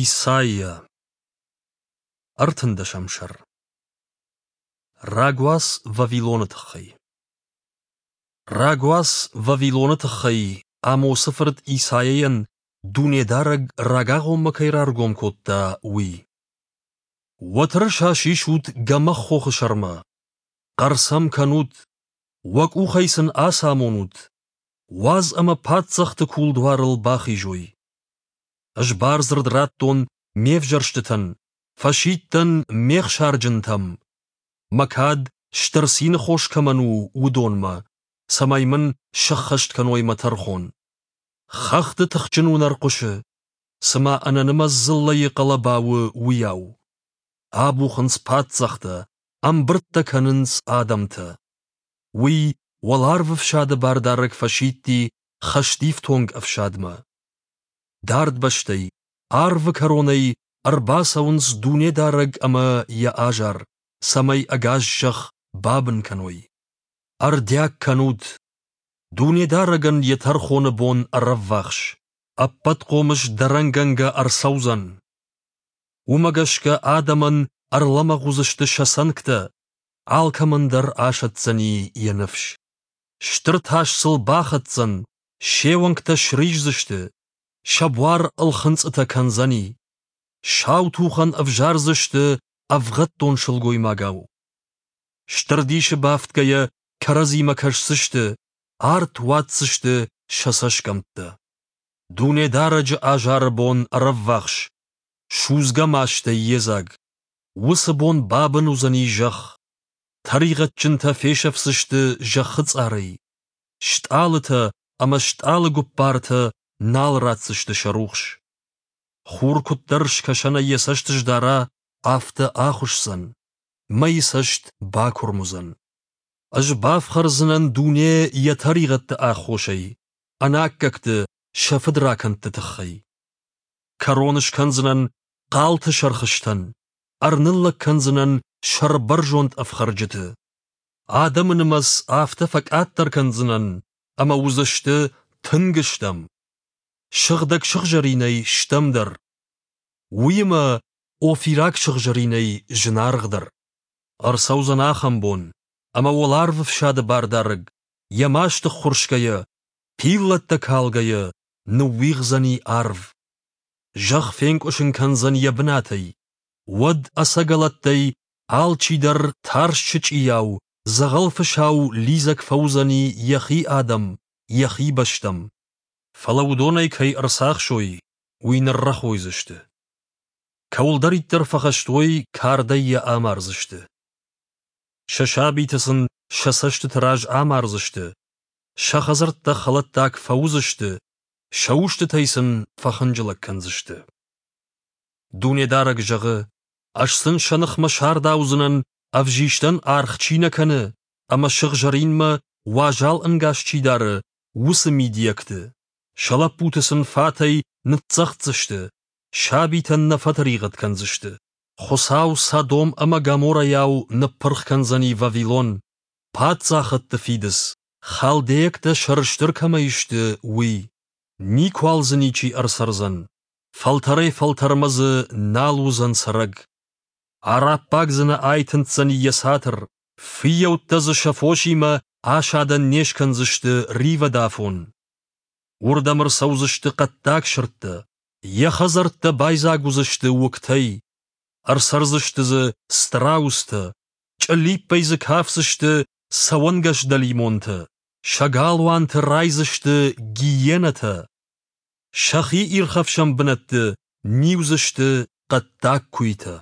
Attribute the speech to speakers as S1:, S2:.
S1: Исайа. Ӕртындӕсӕм сӕр. Рагуац Вавилоны тыххӕй. Рагуац Вавилоны тыххӕй Амосы фырт Исайайӕн Дунедарӕг рагагъоммӕ кӕй раргом кодта, уый. Уӕ тырыса сисут гӕмӕх хохы сӕрмӕ, хъӕр сӕм кӕнут, уӕ къухӕй сын ацамонут, уадз ӕмӕ паддзӕхты кулдуарыл бахизой. Ӕз бардзырд радтон ме взӕрстытӕн, фӕсидтӕн ме хсарджынтӕм, мӕ кад стыр цины хос кӕмӕн у, уыдонмӕ, цӕмӕй мын сӕххӕст кӕной мӕ тӕрхон. Хӕхты тыхджын уынӕр хъуысы, цыма ӕнӕнымӕц дзыллӕйы хъӕлӕба у, уыйау. Абухынц паддзӕхтӕ, ӕмбырдтӕ кӕнынц адӕмтӕ. Уый уӕларвы фсады бардарӕг фӕсидти хӕстифтонг ӕфсадмӕ. Дард бӕстӕй, арвы кӕронӕй ӕрбацӕуынц Дунедарӕг ӕмӕ йӕ азар, цӕмӕй ӕгас зӕхх бабын кӕной. Ӕрдиаг кӕнут! Дунедарӕгӕн йӕ тӕрхоны бон ӕрӕввахс, ӕппӕтхъомыс дӕрӕнгӕнгӕ ӕрцӕудзӕн. Уымӕ гӕсгӕ адӕмӕн ӕрлӕмӕгъ уыдзысты сӕ цӕнгтӕ, алкӕмӕн дӕр асӕтдзӕни йӕ ныфс. Стыр тас сыл бахӕцдзӕн, се уӕнгтӕ сриздзысты, сӕ буар ӕлхынцъытӕ кӕндзӕни. Сау тухӕн ӕвзардзысты ӕвгъӕддон сылгоймагау. Стыр дисы бафтгӕйӕ кӕрӕдзимӕ кӕсдзысты, арт уадздзысты сӕ цӕсгӕмттӕ. Дунедарӕджы азары бон ӕрӕввахс, судзгӕ мастӕй йедзаг. Уыцы бон бабын уыдзӕни зӕхх. Тӕригъӕдджынтӕ фесӕфдзысты зӕххы цъарӕй. Стъалытӕ ӕмӕ стъалыгуппартӕ нал ратдзысты сӕ рухс. Хур куыддӕр скӕсӕнӕй йӕ цӕст сдара, афтӕ ахуысдзӕн, мӕйы цӕст бакуырм уыдзӕн. Ӕз бафхӕрдзынӕн дуне йӕ тӕригъӕдты аххосӕй, ӕнаккӕгты сӕ фыдракӕндты тыххӕй. Кӕрон скӕндзынӕн хъалты сӕрхызтӕн, ӕрныллӕг кӕндзынӕн сӕрбӕрзонд ӕфхӕрджыты. Адӕмы нымӕц афтӕ фӕкъаддӕр кӕндзынӕн, ӕмӕ уыдзысты тынг стӕм. Сыгъдӕг сыгъзӕринӕй стӕмдӕр. Уыимӕ офираг сыгъзӕринӕй зынаргъдӕр. Ӕрцӕудзӕн ахӕм бон, ӕмӕ уӕларвы фсады бардарӕг, йӕ маст ӕххуырсгӕйӕ, пиллӕттӕ калгӕйӕ, ныууигъдзӕни арв. Зӕхх фенкъуысын кӕндзӕн йӕ бынатӕй. Уӕд ӕцӕгӕлӕттӕй алчидӕр тарст сычъийау, дзӕгъӕл фысау лидзӕг фӕуыдзӕни йӕхи адӕм, йӕхи бӕстӕм. Фӕлӕ уыдонӕй кӕй ӕрцахсой, уый ныррӕхойдзысты. Кӕуылдӕриддӕр фӕхӕст уой, кардӕй йӕ амардзысты. Сӕ сабиты сын сӕ цӕстыты раз амардзысты, сӕ хӕдзӕрттӕ хӕлӕттаг фӕуыдзысты, сӕ устытӕй сын фӕхынджылӕг кӕндзысты. Дунедарӕг зӕгъы, ӕз сын сӕ ныхмӕ сардаудзынӕн, ӕвзистӕн аргъ чи нӕ кӕны ӕмӕ сыгъзӕринмӕ уазал ӕнгас чи дары, уыцы мидийӕгты. Сӕ лӕппуты сын фатӕй ныццӕгъддзысты, сабитӕн нӕ фӕтӕригъӕд кӕндзысты. Хуыцау Содом ӕмӕ Гоморрӕйау ныппырх кӕндзӕни Вавилон, паддзахӕдты фидыц, халдейӕгтӕ сӕрыстыр кӕмӕй сты, уый. Никуал дзы ничи ӕрцӕрдзӕн, фӕлтӕрӕй-фӕлтӕрмӕ дзы нал уыдзӕн цӕрӕг. Араббаг дзы нӕ айтындздзӕни йӕ цатыр, фыййӕуттӕ дзы сӕ фосимӕ асадӕн не скӕндзысты ривӕдафон. Уырдӕм ӕрцӕудзысты хъӕддаг сырдтӕ, йӕ хӕдзӕрттӕ байдзаг уыдзысты уыгтӕй, ӕрцӕрдзысты дзы страустӕ, чъыллиппӕй дзы кафдзысты цӕуӕнгӕс дӕлимонтӕ, сӕ галуанты райдзысты гиенӕтӕ, сӕхи ирхӕфсӕн бынӕтты ниудзысты хъӕддаг куыйтӕ.